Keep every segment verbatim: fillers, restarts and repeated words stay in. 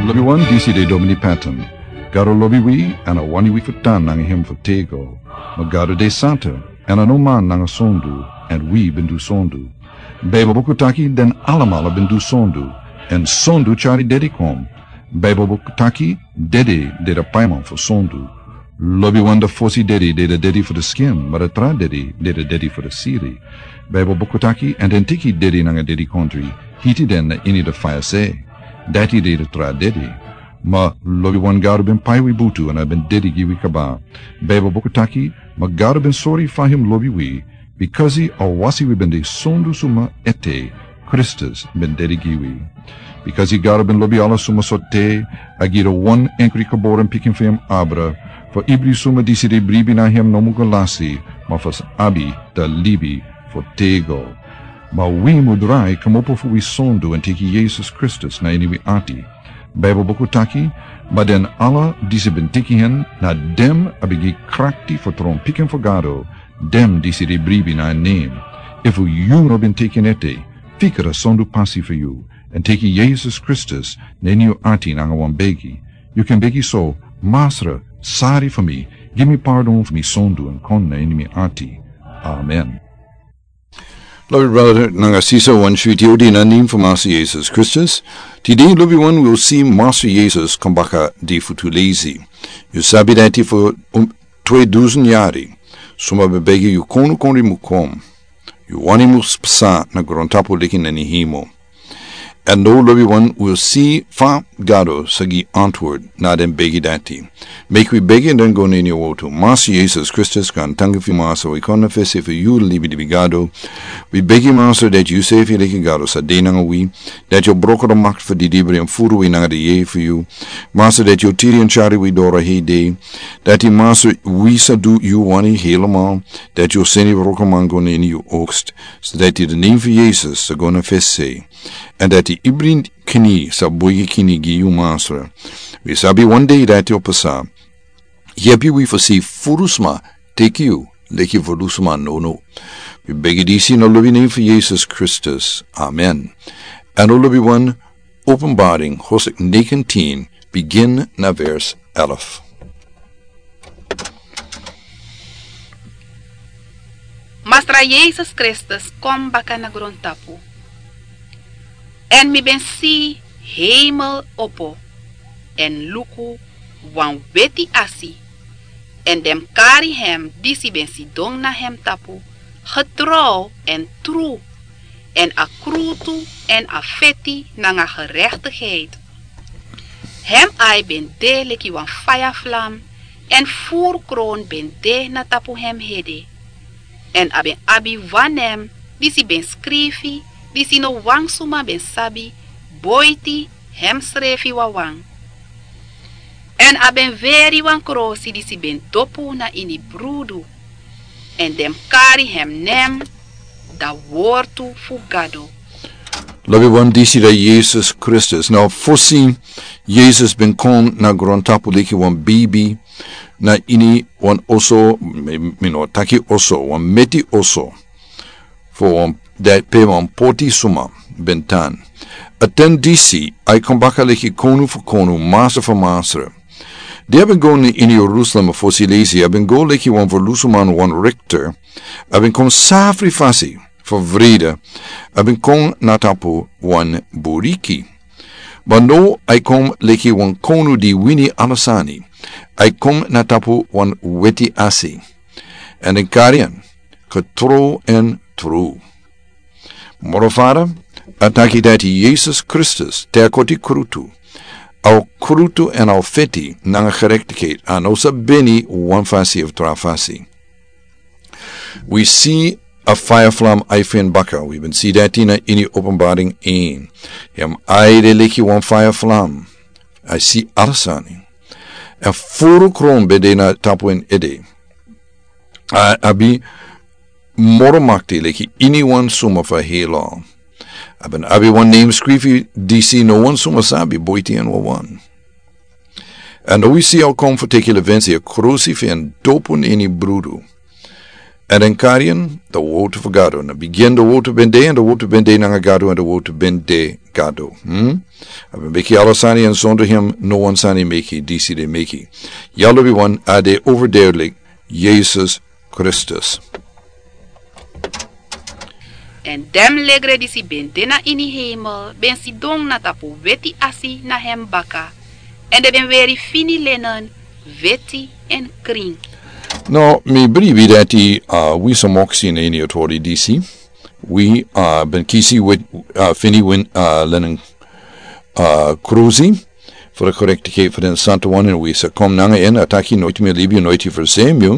Lobi wan, disi de Domini Patton. Gado lobi wi, èn a wani wi fu tan nanga hem fu tego. Ma Gado de santa, èn a no man nanga sondu, èn wi ben du sondu. Baibel buku taki den alamala ben du sondu, èn sondu tyari dedi kon. Baibel buku taki dedi de da paiman fu sondu. Lobi wan, da fosi dedi de da dedi fu da skin, ma da tra dedi de da dedi fu da siri. Baibel buku taki, èn den tiki dedi nanga dedi kontri, hiti den na ini da faya se. Dati de da tra dedi. Ma lobi wan, Gado ben pai wi butu èn a ben dedi gi wi kaba. Baibel buku taki, ma Gado ben sori fa hem lobi wi, bikasi a wasi wi ben de sondu suma ete, Kristus ben dedi gi wi. Bikasi Gado ben lobi ala suma so te, a gi da wan enkri geboren pikin fu hem abra, fu ibri suma disi de bribi na hem no mu go lasi, ma fu sa abi da libi fu tego. Ma wi mu drai kmopo fu wi sondu èn teki Yesus Kristus na ini wi ati. Baibel buku taki, ma den ala disi ben teki hen, na den a ben gi krakti fu tron pikin fu Gado, den disi de bribi na en nen. Efu yu no ben teki en ete, fika da sondu pasi fu yu, èn teki Yesus Kristus na ini yu ati nanga wan begi. Yu kan begi so: Masra, sari fu mi, gi mi pardon fu mi sondu èn kon na ini mi ati. Amen. Lobi brada nanga sisa, wan switi odi na nen fu Masra Yesus Kristus. Tide lobi wan, wi o si Masra Yesus kon baka di fu tu lesi. Yu sabi dati fu, um, twe dusun yari, suma ben begi yu konu kon rimukom. Yu wani mus psa na grontapu leki na ini himo. Èn now lobi wan, wi o si fa Gado sa gi antwoord na den begi dati. Meki wi begi èn den go na ini yu wotu. Masra Yesus Kristus, gaantangi fu yu Masra, wi kon na fesi fu yu libilibi Gado. Wi begi Masra dati yu sefi leki Gado sa de nanga wi, dati yu o broko da makti fu didibri èn furu wi nanga da yeye fu yu. Masra, dati yu o tiri èn tyari wi doro hei dei. Dati Masra, wi sa du yu wani helemaal, dati yu o seni wrokoman go na ini yu oogst. So dati da nen fu Yesus sa go na fesi. Èn dati ibri kini sa boi kini gi yu Masra. Wi sabi wan dei dati o pasa. Yepi wi fu si furu sma teki yu leki furu sma nono. Wi begi disi na lobi nen fu Yesus Kristus. Amen. Èn now lobi wan, Openbaring hoofdstuk negentien, begin na vers elf. Masra Yesus Kristus kon baka na grontapu. Èn mi ben si heimel opo, èn luku, wan weti asi, èn den mus kari hem disi ben sidon na hem tapu, getrouw èn tru, èn a krutu èn a feti nanga gerechtigheid. Hem ai ben de leki wan faya flam, èn furu kron ben de na tapu hem hede. Èn a ben abi wan nen disi ben skrifi, disi no wan suma ben sabi, boiti hemsrefi wawan. Èn a ben weri wan krosi disi ben dopu na ini brudu, èn den mus kari hem nen, da wortu fu Gado. Lobi wan, disi da Yesus Kristus. Now fosi Yesus ben kon na grontapu leki wan beibi, na ini wan oso, mi, mi no taki oso, wan meti oso. Fu wan, dati pe wan poti suma ben tan. A ten disi, a e kon baka leki konu fu konu, masra fu masra. Di a ben go na ini Jerusalem fosi lesi, a ben go leki wan ferlusuman wan rikter. A ben kon safri fasi fu wrede. A ben kon na tapu wan buriki. Ma now a e kon leki wan konu di wini ala sani. A e kon na tapu wan weti asi. Èn den kari en, getrouw èn tru. Moro fara, a taki dati Yesus Kristus, te a koti krutu, a o krutu èn a o feti nanga gerechtigheid, a no sa beni wan fasi of tra fasi. Wi si a faya flam ai fu en baka, wi ben si dati na ini Openbaring een. Hem ai de leki wan faya flam. A e si ala sani. Èn furu kron ben de na tapu en ede. A abi moro makti leki iniwan suma fu a hei law. A ben abi wan nen skrifi disi no wan suma sabi, boiti en wawan. Èn now wi si a o kon fu teki levensi, a krosi fu en dopu na ini brudu. Èn den kari en, den wotu fu Gado. Na bigin den wotu ben de, èn den wotu ben de nanga Gado, èn den wotu ben de Gado. Hmm? A ben meki ala sani, èn sonder hem no wan sani meki disi den meki. Ya lobi wan, a de overduidelijk, Yesus Kristus. Èn den legre disi ben de na ini hemel ben sidon na tapu weti asi na hem baka, èn den ben weri fini lenen, weti èn krin. No, mi bribi dati, uh, wi so moksi na ini autori disi. Wi, uh, ben kisi wet, uh, fini win, uh, lenen, uh, krusi. Voor de correctigheid voor den santa wan, èn wi sa kon nanga en, a taki noiti mi libi, noiti mi versemi.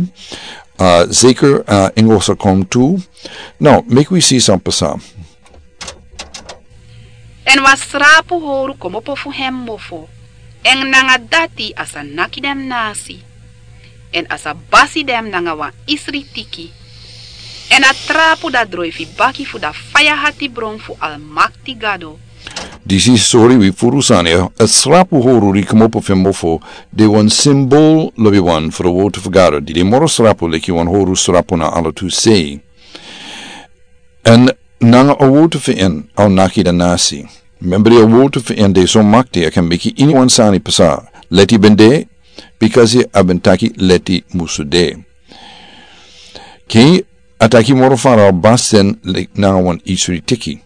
Uh, zeker, uh, Engel sa kon tu. No, meki wi si san pasa. Èn wan srapu howru komopo fu hem mofo, èn nanga dati a sa naki den nasi, èn a sa basi den nanga wan isri tiki, èn a trapu da droifi baki fu da faya hati bron fu Almakti Gado. Disi sori wi furu sani, a srapu howru di komopo fu en mofo, de wan simbol lobi wan fu a wotu fu Gado, di de moro srapu leki wan howru srapu na ala tu sei. Èn nanga a wotu fu en a o naki den nasi. Membri a wotu fu en de so makti, a kan meki ini wan sani pasa. Leti ben de, bikasi a ben taki leti musu de. Ke a taki moro fara a o basi den leki nanga wan isri tiki.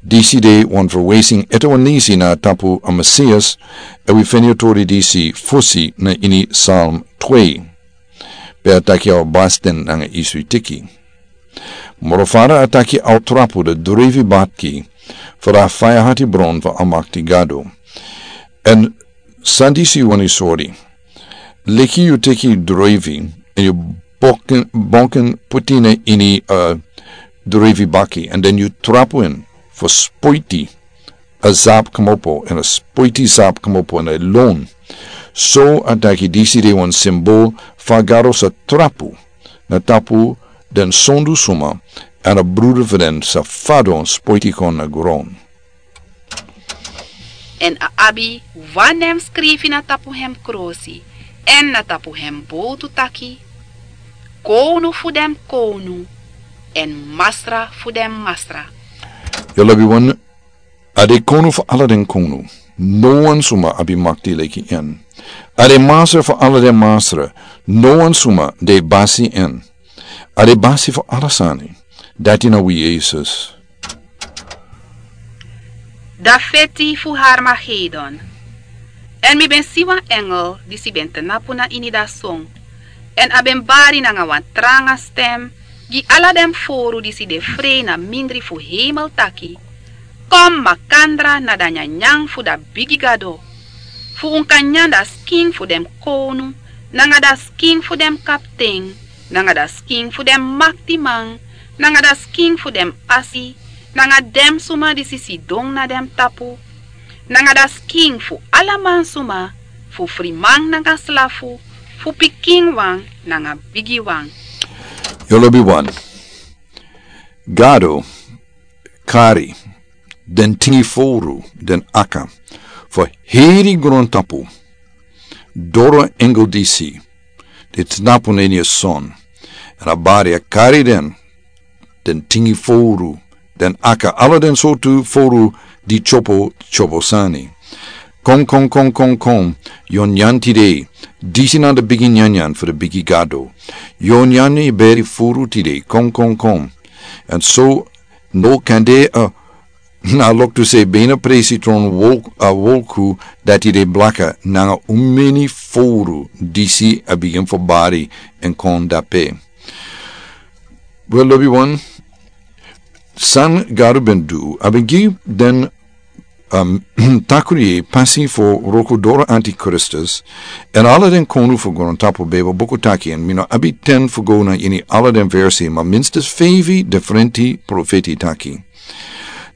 Disi de wan verwijzing ete wan nisi na tapu a Mesias, èn wi feni a tori disi fosi na ini Psalm twee. Pe a taki a o basi den nanga isri tiki. Moro fara a taki a o trapu da droifi baki fu da faya hati bron fu Almakti Gado. Èn san disi wani sori. Leki yu teki droifi, èn yu bonken, bonken puti en na ini, uh, droifi baki, èn den yu trapu en fu spoiti a sapu komopo, èn a spoiti sapu komopo èn a lon. So a taki disi de wan simbol fa Gado sa trapu na tapu den sondu suma, èn a brudu fu den sa fadon spoiti kon na gron. Èn a abi wan nen skrifi na tapu hem krosi, èn na tapu hem bowtu taki: Kownu fu den kownu, èn Masra fu den masra. Yu lobi wan, a de kownu fu ala den kownu. No wan suma abi makti leki en. A de Masra fu ala den masra. No wan suma de basi en. A de basi fu ala sani. Dati na wi Yesus. Da feti fu Harmagedon. Èn mi ben si wan engel disi ben tnapu na ini da son, èn a ben bari nanga wan tranga stem gi ala den foru disi de frei na mindri fu hemel taki: Kon makandra na da nyanyan fu da bigi Gado, fu un kan nyan da skin fu den kownu, nanga da skin fu den kapten, nanga da skin fu den maktiman, nanga da skin fu den asi, nanga den suma disi sidon na den tapu, nanga da skin fu ala mansuma, fu friman nanga slafu, fu pikinwan nanga bigiwan. Yu lobi wan. Gado kari den tingi foru, den aka, fu heri grontapu doro engel disi di tnapu na ini a son, èn a bari a kari den, den tingi foru, den aka, ala den sortu foru di tyopo, tyopo sani. Kon, kon, kon, kon, kon, yu o nyan tide, disi na da bigi nyanyan fu da bigi Gado. Yu o nyan yu beri furu tide, kon, kon, kon. Èn so no kan de, uh, na loktu sei bena presi tron wolk, a wolku dati de blaka nanga umeni foru disi a bigin fu bari èn kon dape. Wel, lobi wan, san Gado ben du, a ben gi den, um, takri pasi fu wroko doro antikristus, èn ala den konu fu grontapu, Bijbel buku taki, èn mi no abi ten fu go na ini ala den versi, ma minstens feifi diferenti profeti taki.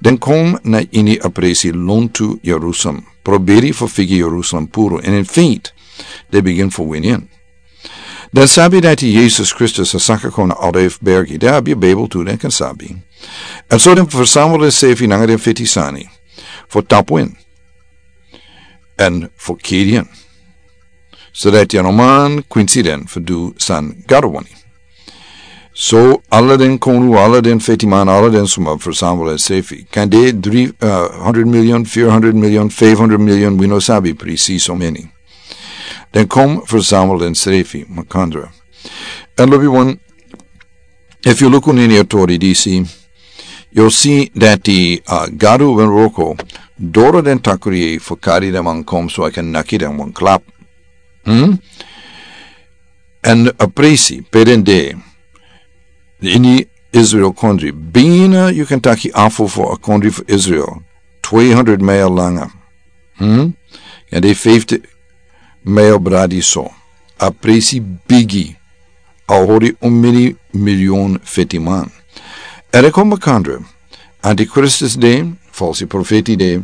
Den kon na ini a presi lontu Jerusalem, proberi fu figi Jerusalem puru, èn in feite, den bigin fu wini en. Den sabi dati Yesus Kristus a saka kon na Olive Bergi, den abi a Bijbel tu, den kan sabi. Èn so den fersamel den sefi nanga den feti sani fu tapu en èn fu kiri en. So dati a no man kwinsi den fu du san Gado wani. So ala den konu, ala den fetiman, ala den suma fersamel ensrefi, kan de dri hundred milyon, fir hundred milyon, fif hundred milyon, wi no sabi prisi so meni. Den kon fersamel ensrefi makandra. Èn lobi wan, efu yu luku na ini a tori disi, yu o si dati a gado ben wroko doro den takri fu kari den man kon so a kan naki den wan klap. Èn a presi pe den de ini Israel kondri, bina yu kan taki afu fu a kondri fu Israel, twe hundred mail langa. Èn de fifti mail bradi so. A presi bigi. A hori un mini milyon fetiman. Èn e kon makandra, antikristus de, falsi profeti de,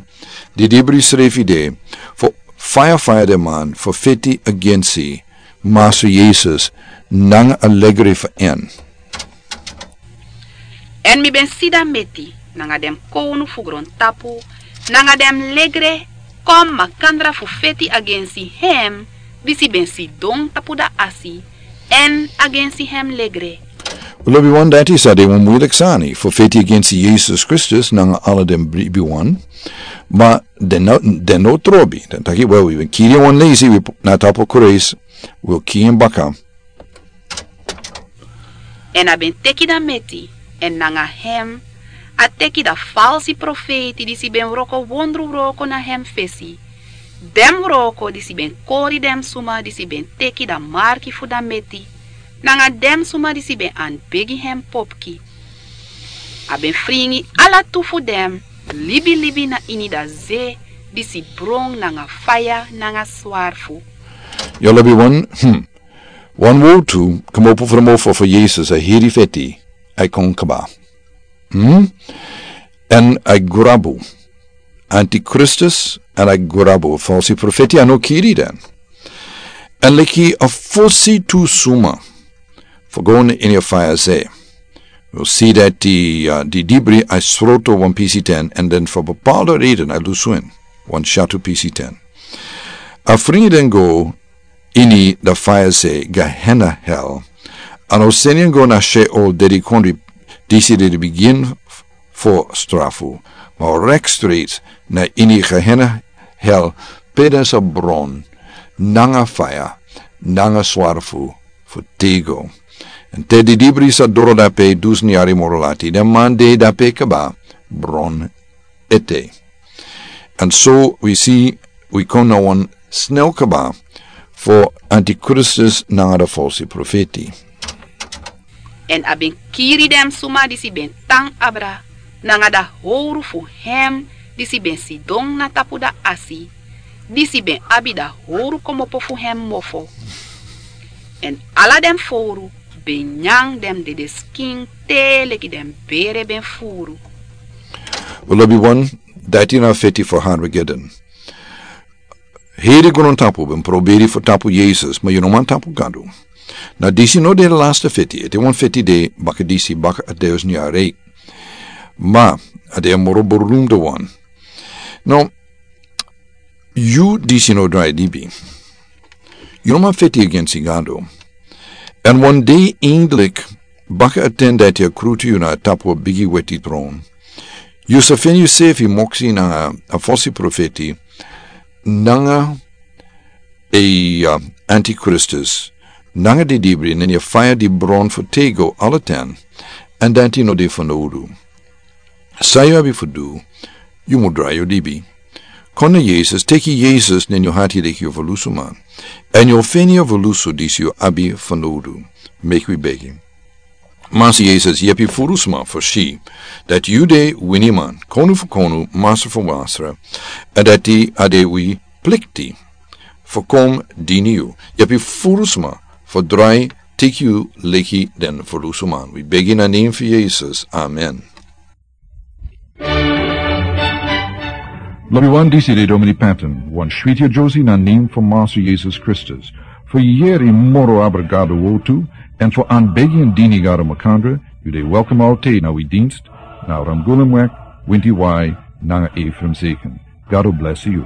di dibri srefi de, fu faya faya den man fu feti agensi Masra Yesus nanga a legre fu en. Èn mi ben si dan meti nanga den kownu fu grontapu nanga den legre kon makandra fu feti agensi hem disi ben sidon tapu dan asi, èn agensi hem legre. Lobi wan, dati sa de wan muilik sani fu feti agensi Yesus Kristus nanga ala den bribi wan. Ma den no, den no trobi. Den taki, wel, wi ben kiri wan lesi, wi na tapu kruis, wi o kiri en baka. Èn a ben teki dan meti, èn nanga hem a teki dan falsi profeti disi ben wroko wondru wroko na hem fesi. Den wroko disi ben kori den suma disi ben teki dan marki fu dan meti, nanga den suma disi ben anbegi hem popki. A ben fringi ala tu fu den libilibi na ini dan ze disi bron nanga faya nanga swarfu. Yu lobi wan, hmm. Wan wowtu kmopo fu den mofo fu Yesus, a heri feti, a e kon kaba. Hmm? Èn a e grabu. Antikristus, èn a e grabu falsi profeti, a no kiri den. Èn leki a fosi tu suma fu go na ini a faya ze. Wi o si dati, uh, di dibri a e sroto wan pisi ten, èn den fu bepaalde reden a e lusu en, wan syatu pisi ten. A fringi den go ini dan faya ze, Gehenna hel. Èn a o seni en go na Sheol, dede kondri, disi de di bigin fu strafu, ma rekstrits na ini Gehenna hel, pe den sa bron nanga faya nanga swarfu fu tego. Èn te di dibri sa doro dape dusun yari moro lati, den man de dape kaba bron ete. Èn so wi si, wi kon na wan snel kaba fu antikristus nanga dan falsi profeti. Èn a ben kiri den suma disi ben tan abra, nanga dan howru fu hem disi ben sidon na tapu dan asi, disi ben abi dan howru kmopo fu hem mofo. Èn ala den fowru ben nyan den dede skin te leki den bere ben furu. Wi lobi wan, dati na feti fu Harmagedon. Heri grontapu ben proberi fu tapu Yesus, ma yu no man tapu Gado. Na disi no de laste feti, ete wan feti de baka disi, baka a dusun yari. Ma a de a moro burlumde wan. No, yu disi no drai libi. Yu no man feti agensi Gado. Èn wan dei eindelijk, baka a ten dati a krutu yu na tapu a bigi weti tron, yu sa feni yusefi moksi nanga a falsi profeti, nanga a, uh, antikristus, nanga di dibri na ini a faya di bron fu tego ala ten, èn dati no de fanowdu. San yu abi fu du, yu mu drai yu libi. Kon na Yesus, teki Yesus na ini yu ati leki yu ferlusuman, èn yu o feni a ferlusu disi yu abi fanowdu. Meki wi begi. Masra Yesus, yepi furu sma fu si dati yu de winiman, konu fu konu, masra fu masra, èn dati a de wi plikti fu kon dini yu. Yepi furu sma fu drai teki yu leki den ferlusuman. Wi begi na nen fu Yesus. Amen. Lobi wan, disi de Domini Patton, wan switi a Josie na nen fu Masra Yesus Kristus. Fu yeri moro abra Gado wowtu, èn fu anbegi èn dini Gado makandra, yu de welkom alten na wi dienst, na Ramgulumweg, Winti Wai, nanga Ephraim Zeken. Gado blesi yu.